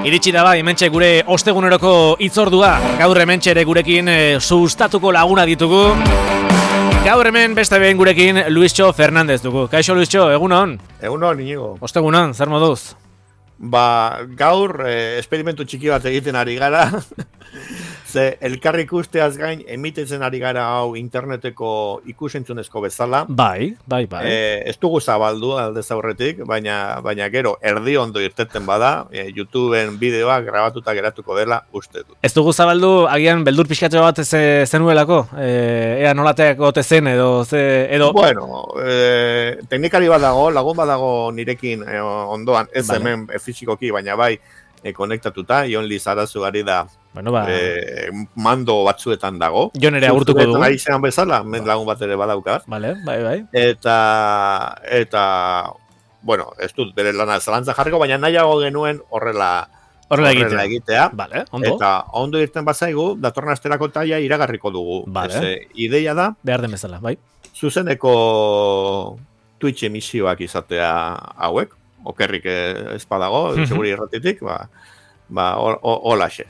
Iritsi da bai, hementxe gure osteguneroko hitzordua. Gaur hementxe ere gurekin sustatuko laguna ditugu. Gaur hemen beste behin gurekin Luistxo Fernandez dugu. Kaixo Luistxo, egunon? Egunon, Inigo. Ostegunon, zer moduz? Gaur esperimentu txiki bat egiten ari gara. Ze elkarri ikusteaz gain emitetzen ari gara hau interneteko ikusentzunezko bezala. Bai. Ez dugu zabaldu aldez aurretik, baina gero erdi ondo irteten bada, YouTubeen bideoak grabatuta geratuko dela uste dut. Ez dugu zabaldu agian beldur pixkatxo bat zenuelako? Ea nolateak ote zen edo... Bueno, teknikari bat dago, lagun bat dago nirekin ondoan, ez vale. Hemen fizikoki, baina bai konektatuta, Jon Lizarazu ari da. Bueno, mando batzuetan dago. Jo nere agurtuko dugu. Ari zean bezala, lagun bat ere badaukat. Vale, bai. Eta bueno, ez dut bere lana zalantza jarriko, baina nahiago genuen horrela egitea. Vale, ondo. Eta ondo irten bazaigu, datorren asterako taia iragarriko dugu. Vale. Ideia da. Behar den bezala, bai. Zuzeneko Twitch emisioak izatea hauek. Okerrik ez badago, seguri irratitik, holaxe,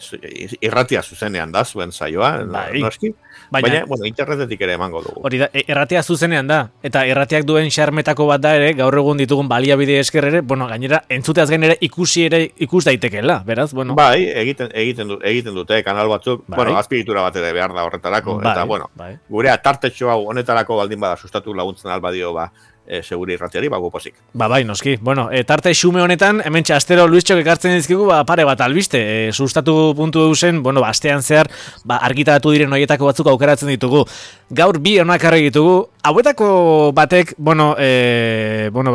irratia zuzenean da, zuen saioa, noski, baina, internetetik ere emango dugu. Hori da, irratia zuzenean da, eta irratiak duen xarmetako bat da ere, gaur egun ditugun baliabide esker ere, gainera, entzuteaz gain ere ikus daitekeela, beraz, bueno. Bai, egiten dute, kanal batzuk, azpiritura bat ere behar da horretarako, eta, gure tartetxo hau honetarako baldin bada sustatu laguntzen albadio, seguri irratiari, gupozik. Bai, noski. Bueno, tarte xume honetan, hementxe astero Luistxok ekartzen dizkigu, pare bat albiste. Sustatu puntu eusen, astean zehar, argitaratu diren horietako batzuk aukeratzen ditugu. Gaur bi onakarri ditugu. Hauetako batek,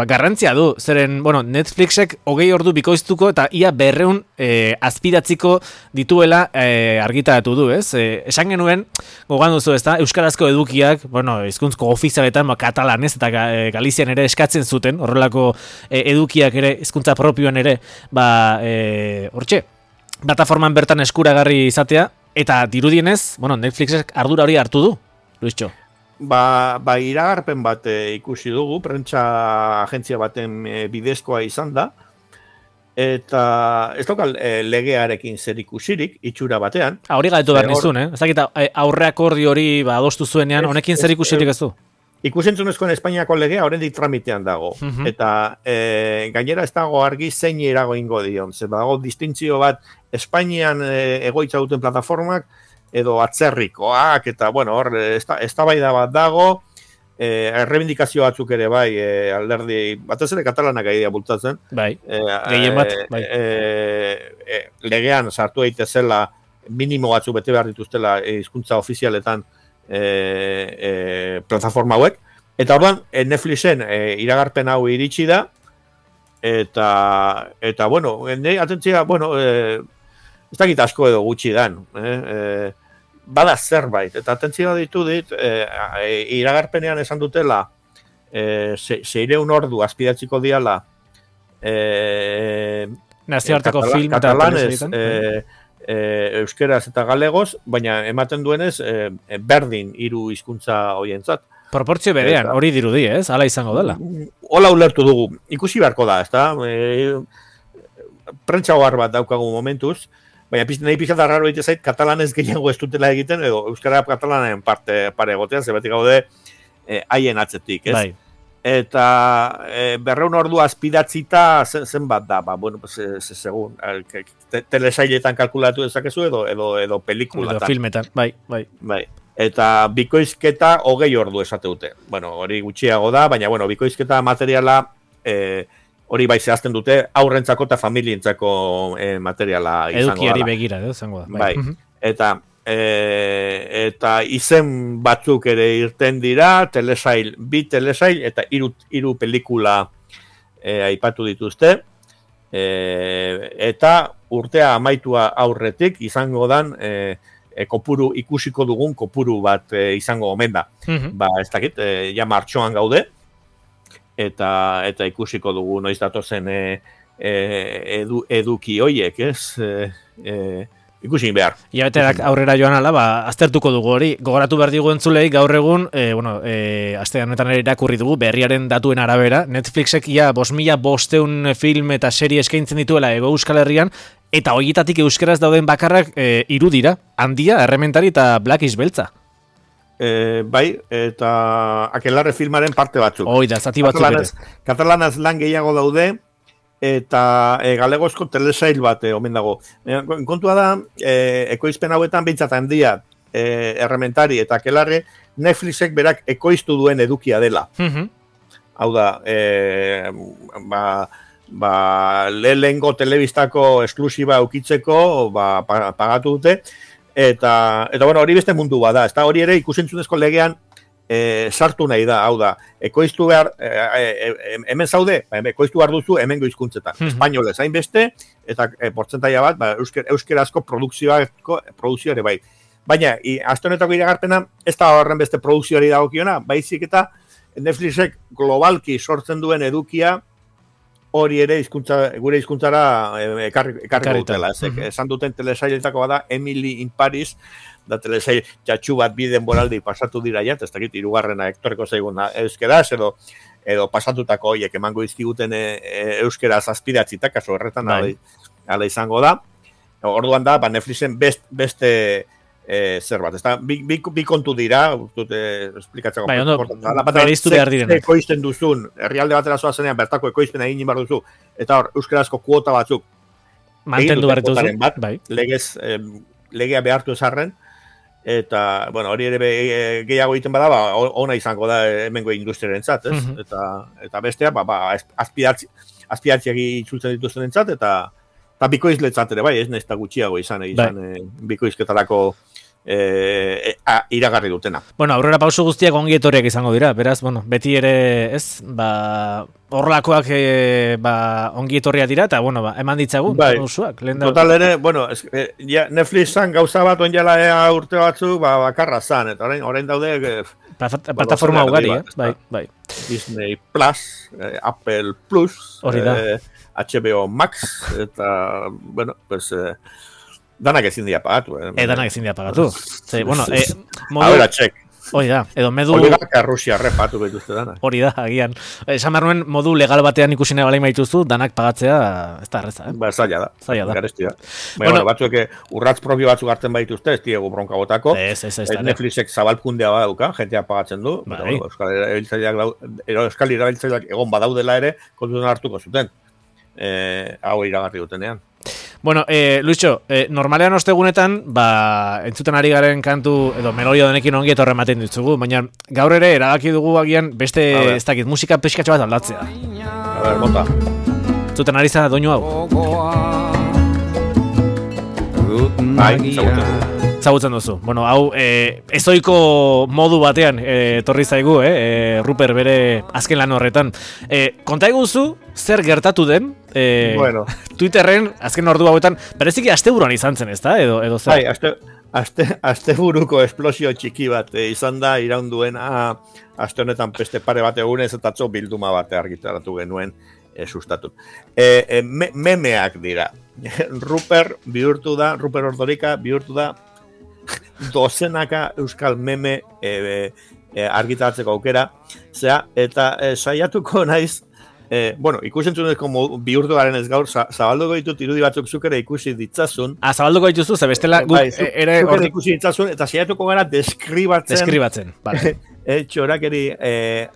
garrantzia du. Zeren, Netflixek 20 ordu bikoiztuko eta ia 200 azpidatziko dituela argitaratu du, ez? Esan genuen, gogan duzu, ez da, euskarazko edukiak, hizkuntzko ofizialetan, katalanez eta Galizian ere eskatzen zuten, horrelako edukiak ere, hizkuntza propioan ere, hortxe, plataforman bertan eskuragarri izatea, eta dirudienez, Netflixek ardura hori hartu du, Luistxo. Iragarpen bat ikusi dugu, prentsa agentzia baten bidezkoa izan da, eta ez daukal legearekin zer ikusirik, itxura batean. Hori gaitu behar nizun, ez dakit aurreakordi hori adostu zuenean, honekin zer ikusirik ez du? Ikusentzunezkoen Espainiako legea oraindik tramitean dago. Eta gainera ez dago argi zein erago ingo dion. Zer dago distintzio bat Espainian egoitza duten plataformak edo atzerrikoak, eta hor eztabaida bat dago, errebindikazio batzuk ere bai, alderdi, batez ere katalanak aidea bultatzen. Bai, gehien bat, bai. Legean sartu daitezela minimo batzuk bete behar dituztela hizkuntza ofizialetan plataforma hauek, eta orduan Netflixen iragarpen hau iritsi da, eta atentzia, ez dakit asko edo gutxi dan, bada zerbait, eta atentzia ditu dit, iragarpenean esan dutela 600 ordu azpidatziko diala nazioarteko film eta katalanez, euskeraz eta galegoz, baina ematen duenez berdin 3 hizkuntza horientzat. Proportzio berean, hori dirudi, ez? Hala izango dela. Hola ulertu dugu. Ikusi beharko da, ezta? Prentsa ohar bat daukagu momentuz, baina nahi pixata raro egite zait, katalanez gehiago ez dutela egiten, edo euskara katalanen pare egotean, zebatik gaude haien atzetik, ez? Bai. Eta 200 ordu azpidatzita zenbat da, segun, telesailetan kalkulatu dezakezu edo pelikulatan. Edo filmetan, bai. Eta bikoizketa 20 ordu esate dute. Hori gutxiago da, baina bikoizketa materiala hori bai zehazten dute aurrentzako eta familientzako materiala izango da. Edukiari begira, izango da. Bai, eta izen batzuk ere irten dira, bi telesail eta 3 pelikula aipatu dituzte, eta urtea amaitua aurretik izango dan ikusiko dugun kopuru bat izango omen da. Ez dakit, ja martxoan gaude, eta ikusiko dugu noiz datozen eduki hoiek, ez? ikusi behar. Iabeterak aurrera joan ala, aztertuko dugu hori. Gogoratu behar digu entzulei gaur egun, aste honetan ere irakurri dugu, berriaren datuen arabera, Netflixek ia 5.500 film eta serie eskaintzen dituela Hego Euskal Herrian, eta horietatik euskeraz dauden bakarrak 3 dira, Handia, Errementari eta Black is Beltza. Bai, eta Akelarre filmaren parte batzuk. Hoi da, zati batzuk ere. Katalanaz lan gehiago daude, eta galegozko telesail bat omen dago. Kontua da, ekoizpen hauetan behintzat Handia, Errementari eta Akelarre, Netflixek berak ekoiztu duen edukia dela. Hau da, lehengo telebistako esklusiba eukitzeko pagatu dute, eta bueno, hori beste mundu bada, ezta hori ere ikusentzunezko legean sartu nahi da, hau da, ekoiztu behar, hemen zaude, ekoiztu behar duzu hemengo hizkuntzetan, espainolez hainbeste, eta portzentaia bat, euskerazko produkzio ere bai. Baina, aste honetako iragarpena, ez da horren beste produkzioari dagokiona, baizik eta Netflixek globalki sortzen duen edukia, hori ere gure hizkuntzara ekarriko dutela. Esan duten telesailetako bada Emily in Paris, da telesail txatxu bat bi denboraldi pasatu dira ja, ez dakit 3. ektoreko zaiguna euskeraz, edo pasatutako horiek emango dizkiguten euskeraz azpidatzitak, kaso horretan ala izango da. Orduan da, Netflixen beste zer bat, ezta bi kontu dira, esplikatzeko. Bai, ondo, bereiztu behar direnak. Ekoizten duzun, herrialde batera zoazenean, bertako ekoizpena egin behar duzu, eta hor, euskarazko kuota batzuk mantendu behar duzu, bai. Legea behartu ezarren, eta, bueno, hori ere gehiago egiten bada, ona izango da hemengo industriarentzat, ez? Eta bestea, azpidatziak itzultzen dituzten entzat, eta bikoizletzat ere, bai, ez nahizta gutxiago izan bikoizketarako iragarri dutena. Bueno, aurrera pauso guztiak ongi etorriak izango dira, beraz, bueno, beti ere, ez, horrelakoak ongi etorriak dira, eta, bueno, eman ditzagu, pausuak. Total ere, bueno, Netflixan gauza bat onjala urte batzuk, bakarra zan, eta orain daude... Plataforma ugari, bai. Disney Plus, Apple Plus, hori da. HBO Max, eta, bueno, pues... danak ezin dira pagatu. Danak ezin dira pagatu. Bueno, ahora check. Hori da, edo medu... Oligaka Rusia repatu behituzte danak. Hori da, agian. Esan behar nuen modu legal batean ikusi nahi balein baituzu, danak pagatzea, ez da arreza, Zaila da. Zaila da. Garesti da. Bueno, batzuek urratz propio batzuk hartzen baituzte, ez diegu bronka botako. Netflixek zabalkundea badauka, jentea pagatzen du. Euskal erabiltzaileak egon badaudela ere, kontutan hartuko zuten. Hau iragarri dutenean. Bueno, Luitxo, normalean ostegunetan, entzuten ari garen kantu, edo melodia denekin ongi etorre ematen ditugu, baina gaur ere erabaki dugu agian beste, ez dakit, musika pixkatxo bat aldatzea. A ber, bota. Entzuten ari zara doinu hau? Bai, zagutzen dugu. Zagutzen duzu. Bueno, hau, ezoiko modu batean etorri zaigu, Ruper bere azken lan horretan. Konta eguzu, zer gertatu den, bueno. Twitterren azken ordu hauetan, bereziki asteburuan izan zen, ezta? Edo zer? Bai, asteburuko esplosio txiki bat izan da, iraunduena aste honetan peste pare bat egunez eta atzo bilduma bat argitaratu genuen sustatu. Memeak dira. Ruper Ordorika bihurtu da dozenaka euskal meme argitaratzeko aukera, eta saiatuko naiz, bueno, ikusentzunezko bihurtu garen ez gaur, zabalduko ditut irudi batzuk zuk ere ikusi ditzazun. Zabalduko dituzu, ze bestela zuk ere ikusi ditzazun, eta saiatuko gara deskribatzen. Vale. Txorakeri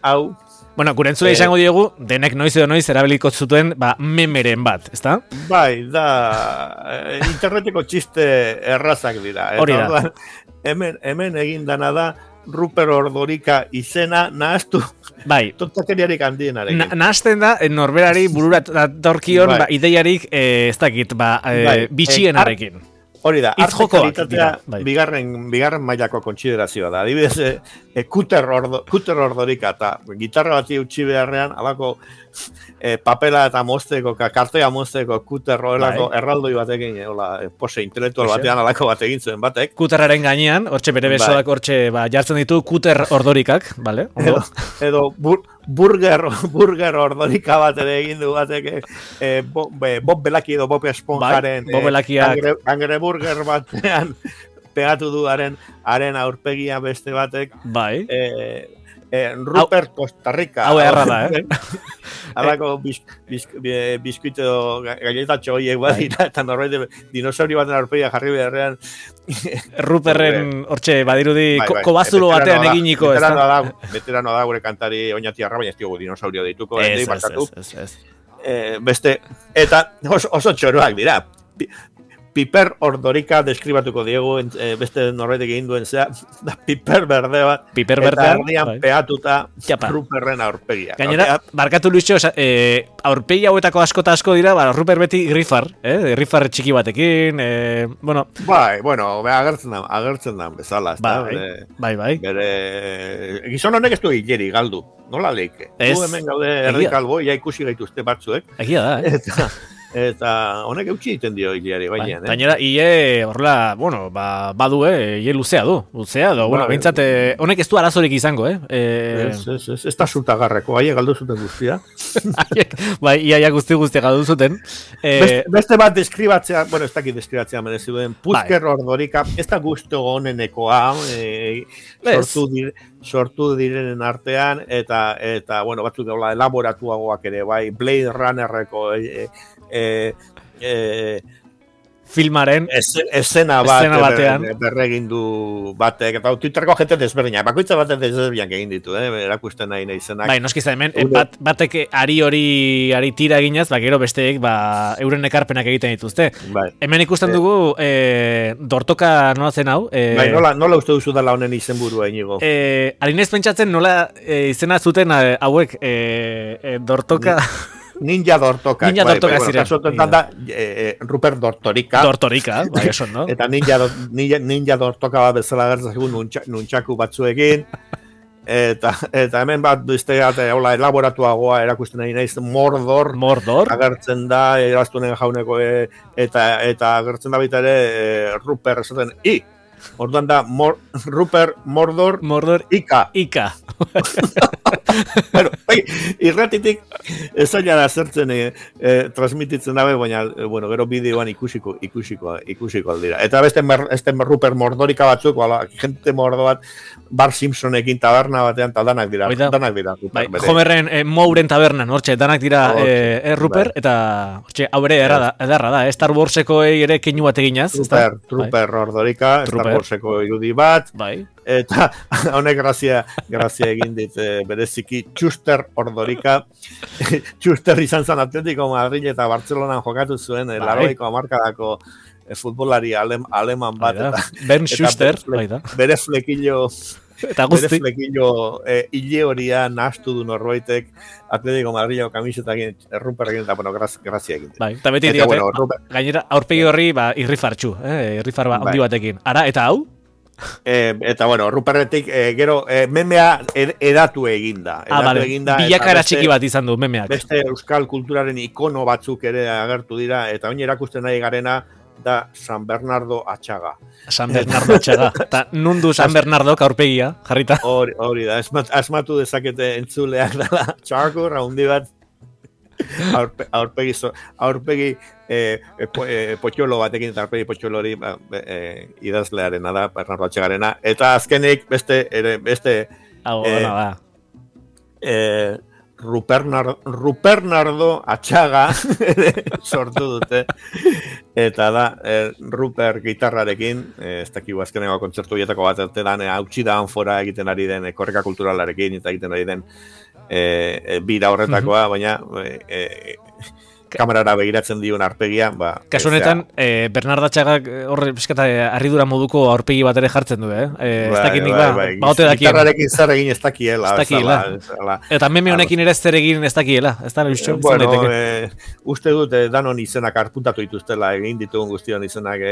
hau. Bueno, gure entzule izango diegu, denek noiz edo noiz erabiliko zuten memeren bat, ezta? Bai, da, interneteko txiste errazak dira. Hori da. Hemen egin dana da, Ruper Ordorika izena nahaztu, bai. Tontakeriarik handienarekin. Nahazten da, norberari burura torkion, ideiarik, ez dakit, bitxienarekin. Hori da, artekalitatea bigarren mailako kontsiderazioa da. Adibidez, Kuter Ordorika eta gitarra bati utzi beharrean, alako papela eta mozteko, kartea mozteko Kuter horrelako erraldoi batekin, pose intelektual batean alako bat egin zuen batek. Kuterraren gainean, hortxe bere besoak hortxe jartzen ditu Kuter Ordorikak, bale? Edo burger ordorika bat ere egin du batek, Bob Belaki edo Bob Esponjaren Angreburger batean pegatu du haren aurpegia beste batek. Bai. Rupert Costa Rica. Hau erra da, Alako biskuito galletatxo horiek badira, eta norbait dinosaurio baten aurpegia jarri beharrean. Ruperren, hortxe, badirudi, kobazulo batean eginiko. Veterano da gure kantari oinatiarra, baina ez diogu dinosaurio dituko. Ez. Beste, eta oso txoroak dira. Piper ordorika deskribatuko diegu, beste norbaitek egin duen zea, da piper berde bat, eta erdian peatuta Ruperren aurpegia. Gainera, barkatu Luixo, aurpegi hauetako asko dira, Ruper beti irrifar, irrifar txiki batekin, bueno... agertzen da bezala, ez da? Bai. Gizon honek ez du hileri galdu, nola leike? Du hemen gaude erdikalbo, ja ikusi gaituzte batzuek. Egia da, Eta honek eutxi egiten dio hileari bainean. Gainera, horrela, badu, luzea du, bueno, behintzat, honek ez du arazorik izango, Ez da zutagarreko, haiek galdu zuten guztia. Bai, iaia guztia galdu zuten. Beste bat deskribatzea, bueno, ez dakit deskribatzea merezi duen, Pusker ordorika, ez da guztu honenekoa, sortu direnen artean, eta bueno, batzuk gaula elaboratuagoak ere, bai, Blade Runnerreko filmaren esena batean berregindu batek, eta Twitterko jente desberdinak, bakoitza batek desberdinak egin ditu, erakusten nahi izenak. Bai, noskiza hemen, batek ari tira eginaz, gero besteek euren ekarpenak egiten dituzte. Bai. Hemen ikusten dugu dortoka nola zen hau. Bai, nola uste duzu dela honen izenburua inigo? Harinez pentsatzen nola izena zuten hauek dortoka... Ninja dortoka ziren. Rupert Dortorika. Dortorika, bai, eso, no? Eta ninja dortoka bat bezala gertzagun nuntxaku batzuekin. Eta hemen bat duizte elaboratuagoa erakusten nahi naiz Mordor. Agertzen da, eraztunen jauneko, eta agertzen da baita ere Rupert esaten, orduan da Rupert Mordor Ika. Bueno, irratitik ezaila da zertzen transmititzen dabe, baina gero bideoan ikusiko aldira. Eta beste Rupert Mordorika batzuk, gente mordo bat, Bar Simpsonekin taberna batean, eta danak dira. Homerren Mouren tabernan, hortxe, danak dira Rupert, eta hau ere edarra da, Star Warseko ere keinu bat eginaz. Rupert Mordorika, Star Warseko irudi bat, eta honek grazia egin dit bereziki Txuster Ordorika. Txuster izan zen Atletico Madrid eta Bartzelonan jokatu zuen, laroiko hamarkadako futbolari aleman bat. Bernd Schuster, bere flekillo hile horia nahastu du norbaitek Atletico Madrileko kamisetakin Ruperrekin, eta grazia egin. Eta beti diote, gainera aurpegi horri irrifartxu, irrifar handi batekin. Ara, eta hau? Eta Ruperretik gero memea edatu eginda. Bilakara txiki bat izan du memeak. Beste euskal kulturaren ikono batzuk ere agertu dira, eta oin erakusten nahi garena da San Bernardo Atxaga. San Bernardo Atxaga. Eta nundu San Bernardo aurpegia, jarrita. Hori da, asmatu dezakete entzuleak dela txarkur, haundi bat, aurpegi potxolo batekin, eta aurpegi potxolo hori idazlearena da, Bernardo Atxagarena. Eta azkenik beste Rupernardo Atxaga sortu dute, eta da Rupert gitarrarekin, ez dakigu azkeneko kontzertu bietako bat ertetan, hautsi da anfora egiten ari den korreka kulturalarekin, eta egiten ari den bira horretakoa, baina kamerara begiratzen dion arpegia. Kasu honetan, Bernardo Atxagak horre pizkata harridura moduko aurpegi bat ere jartzen du, ez dakit nik baote dakien. Gitarrarekin zer egin ez dakiela. Eta meme honekin ere zer egin ez dakiela. Bueno, uste dut danon izenak arpuntatu dituztela, egin ditugun guztion izenak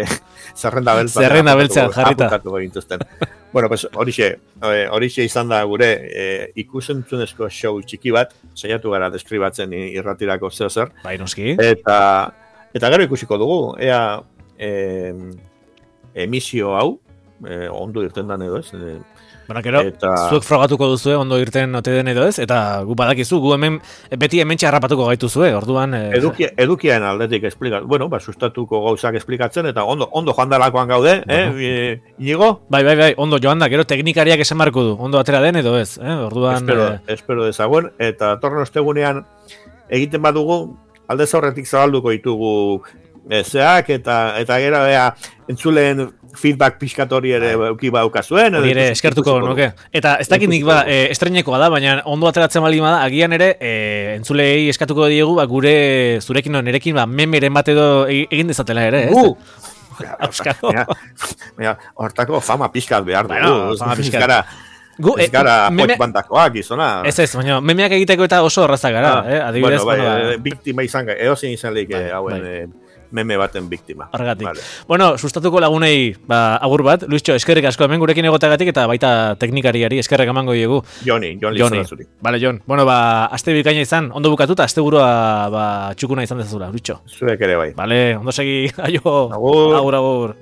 zerrenda beltzean jarrita. Bueno, pues horixe izan da gure ikusentzunezko show txiki bat, saiatu gara deskribatzen irratirako zer. Bai, noski. Eta gero ikusiko dugu, emisio hau, ondo irten dan edo ez, Bueno, gero, zuek frogatuko duzue, ondo irten ote den edo ez, eta gu badakizu, gu hemen beti hemen txarrapatuko gaituzue, orduan... Edukian aldetik esplikatu, bueno, sustatuko gauzak esplikatzen, eta ondo joan dalakoan gaude, Inigo? Bai, ondo joan da, gero teknikariak esan marko du, ondo atera den edo ez, orduan... Espero dezagoen, eta torno ostegunean egiten badugu, aldez aurretik zabalduko ditugu zeak, eta gero entzuleen feedback pixkatori ere euki baukazuen. Hori ere, eskertuko nuke. Eta ez dakit nik estrenekoa da, baina ondo ateratzen bali bada, agian ere, entzulei eskatuko diegu, zurekin nerekin, memeren bat edo egin dezatela ere, ez? Auskalo. Hortako fama pixkat behar dugu. Fama pixkara. Ez gara bandakoak izona. Ez, baina memeak egiteko eta oso horrazak gara. Adibidez, biktima izan, eozin izan leik hauen meme baten biktima. Horregatik. Vale. Bueno, sustatuko lagunei agur bat. Luischo, eskerrik asko hemen gurekin egotagatik eta baita teknikariari eskerrik emango diegu. Joni. Vale, Jon. Bueno, aste bikaina izan, ondo bukatuta, aste burua txukuna izan dezazula, Luischo. Zuek ere bai. Vale, ondo segi, aio. Agur. Agur.